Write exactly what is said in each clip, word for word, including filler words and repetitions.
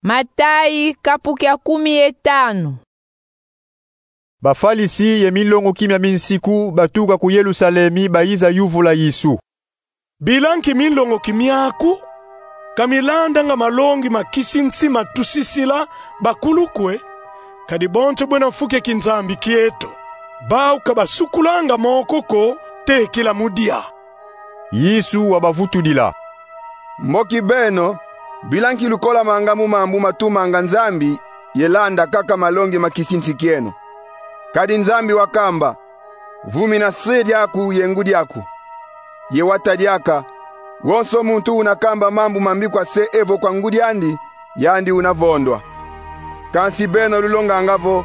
Matayi, kapu kia kumi ye tanu. Bafalisi ye minlongoki mia minsiku batuka ku Yelusalemi, bayiza yuvula Yesu: Bila nki minlongoki miaku ka milandanga malongi ma kisinsi matusisila bakulu kwe, kadi bonso bwena fu kia kinzambi kieto? Bau ka basukulanga moko ko, tekila mu dia. Yesu wabavutudila: Mboki beno, bila nki lukolamanga mu mambu matumanga Nzambi ye landa kaka malongi ma kisinsi kieno? Kadi Nzambi wakamba: Vumina se diaku ye ngudi aku. Ye wata diaka: Wonso muntu una kamba mambu mambi kwa se evo kwa ngudi andi, yandi una vondwa. Kansi beno lulonganga vo,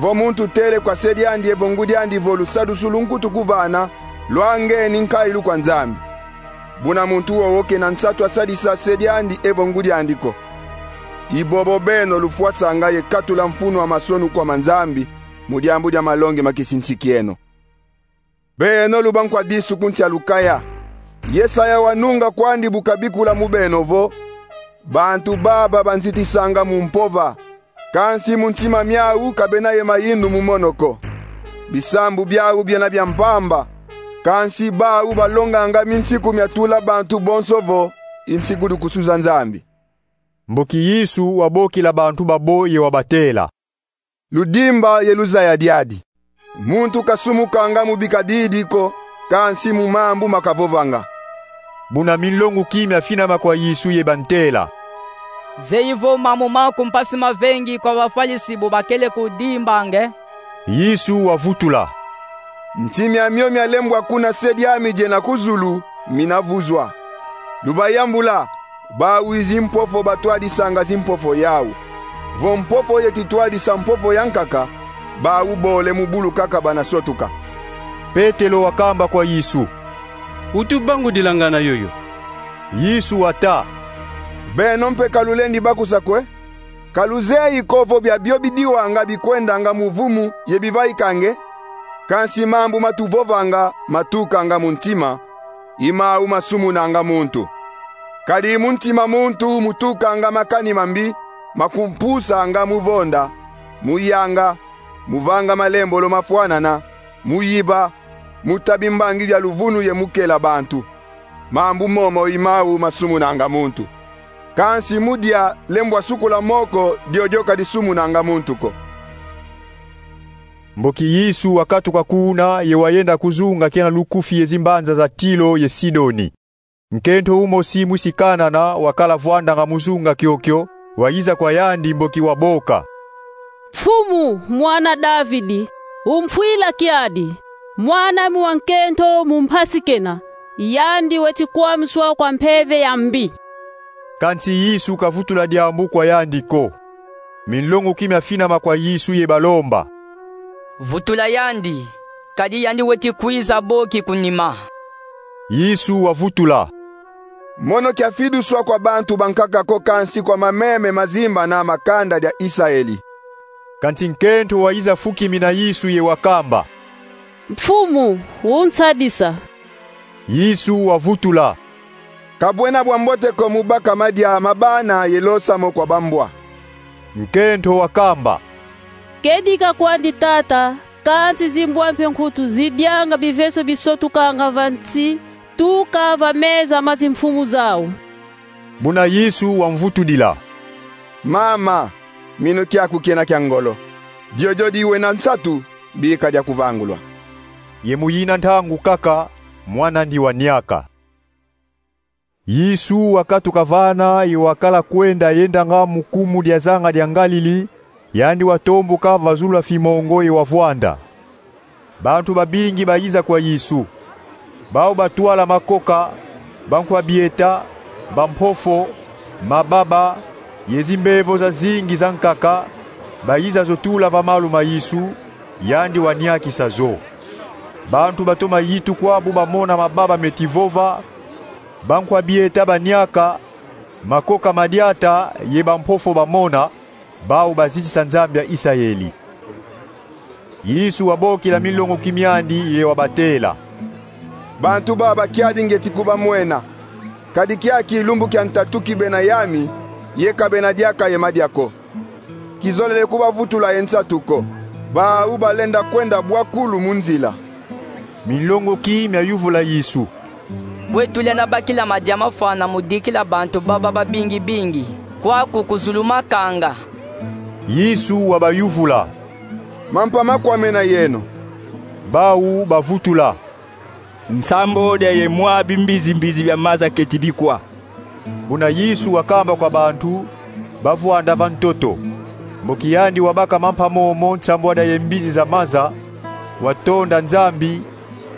vo muntu tele kwa se diandi evo ngudi andi vo: Lusadisu lu nkutu kuvana, lwangeni nkailu kwa Nzambi. Buna muntu wowo kena nsatu a sadisa se diandi evo ngudi andi ko. I bobo beno lufwasanga ye katula mfunu a masonu kwa ma Nzambi mu diambu dia malongi ma kisinsi kieno. Beno lu bankwa disu ku nsi a lukaya. Yesaya wanunga kwandi bu kabikula mu beno vo: Bantu baba banzitisanga mu mpova, kansi mu ntima miau ka bena ye mayindu mu mono ko. Bisambu biau biena bia mpamba, kansi bau balonganga minsiku mia tula bantu bonso vo i nsiku du kusuza Nzambi. Mboki Yesu wabokila bantu babo ye wabatela: Ludimba ye luzaya diadi. Muntu kasumukanga mu bikadidi ko, kansi mu mambu makavovanga. Buna minlongoki miafinama kwa Yesu ye bantela: Zeyi vo mambu maku mpasi mavengi kwa Bafalisi bu bakele kudimbanga e? Yesu wavutula: Nti miamio mialembwa kuna se diami diena ku zulu mina vuzwa. Lubayambula: Bau i zimpofo batwadisanga zimpofo yau. Vo mpofo yeti twadisa mpofo yankaka, bau bole mu bulu kaka bana sotuka. Petelo wakamba kwa Yesu: Utubangudilanga na yoyo. Yesu wata: Beno mpe ka lulendi bakusa kwe? Ka luzeyi ko vo biabio bidiwanga bikwendanga mu vumu ye bivaikanga e? Kansi mambu matuvovanga matukanga mu ntima, i mau masumunanga muntu. Kadi mu ntima muntu mutukanga makani mambi, makumpusanga mu vonda, mu yanga, mu vanga malembolo mafwanana, mu yiba, mu ta bimbangi bia luvunu ye mu kela bantu. Mambu momo i mau masumunanga muntu. Kansi mu dia lembwa sukula moko, diodio ka disumunanga muntu ko. Mboki Yesu wakatuka kuna ye wayenda ku zunga kiena lukufi ye zimbanza za Tilo ye Sidoni. Nkento umosi mwisi Kanana wakala vwandanga mu zunga kiokio, wayiza kwa yandi mboki waboka: Mfumu, mwana Davidi, umfwila kiadi! Mwan'ami wa nkento mu mpasi kena, yandi weti kwamiswa kwa mpeve ya mbi. Kansi Yesu kavutula diambu kwa yandi ko. Minlongoki miafinama kwa Yesu ye balomba: Vutula yandi, kadi yandi weti kwiza boki ku nima. Yesu wavutula: Mono kiafiduswa kwa bantu bankaka ko, kansi kwa mameme mazimbana ma kanda dia Isaeli. Kansi nkento wayiza fukimina Yesu ye wakamba: Mfumu, unsadisa. Yesu wavutula: Ka bwena bwa mbote ko mu baka madia ma bana ye losa mo kwa bambwa. Nkento wakamba: Kedika kwandi, Tata, kansi zimbwa mpe nkutu zidianga biveso bisotukanga va nsi, tuka va meza ma zimfumu zau. Buna Yesu wamvutudila: Mama, minu kiaku kiena kia ngolo. Diodio di wena nsatu, bika diakuvangulwa. Ye mu yina ntangu kaka, mwan'andi waniaka. Yesu wakatuka vana ye wakala kwenda yendanga mu kumu dia zanga dia Ngalili, yandi watomboka va zulu a fimongo ye wavwanda. Bantu babingi bayiza kwa Yesu. Bau batwala makoka, bankwa bieta, bampofo, mababa, ye zimbevo zazingi zankaka, bayiza zo tula va malu ma Yesu, yandi waniakisa zo. Bantu batoma yitukwa bu bamona mababa meti vova, bankwa bieta baniaka, makoka madiata ye bampofo bamona, bau bazitisa Nzambi a Isaeli. Yesu wabokila minlongoki miandi ye wabatela: Bantu baba kiadi ngieti kubamwena. Kadi kiaki lumbu kia ntatu kibena yami, ye ka bena diaka ye madia ko. Kizolele kubavutula ye nsatu ko. Bau balenda kwenda bwakulu mu nzila. Minlongoki miayuvula Yesu: Bwe tulenda bakila madia mafwana mu dikila bantu baba babingi-bingi kwaku ku zulu makanga? Yesu wabayuvula: Mampa makwame na yeno. Bau bavutula: Nsambodia ye mwa bimbizi-mbizi bia maza keti bikwa. Buna Yesu wakamba kwa bantu, bavwanda va ntoto. Mboki yandi wabaka mampa momo nsambodia ye mbizi za maza, watonda Nzambi,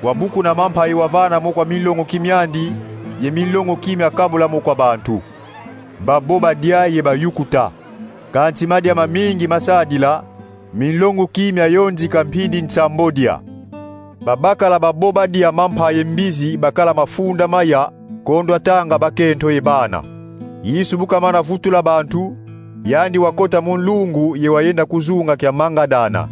wabukuna mampa ye wavana mo kwa minlongoki miandi, ye minlongoki miakabula mo kwa bantu. Babo badia ye bayukuta. Kansi madia mamingi masadila, minlongoki miayonzika mpidi nsambodia. Babakala babo badia mampa ye mbizi bakala mafunda maya, kondwa tanga bakento ye bana. Yesu bu kamana vutula bantu, yandi wakota mu nlungu ye wayenda ku zunga kia Mangadana.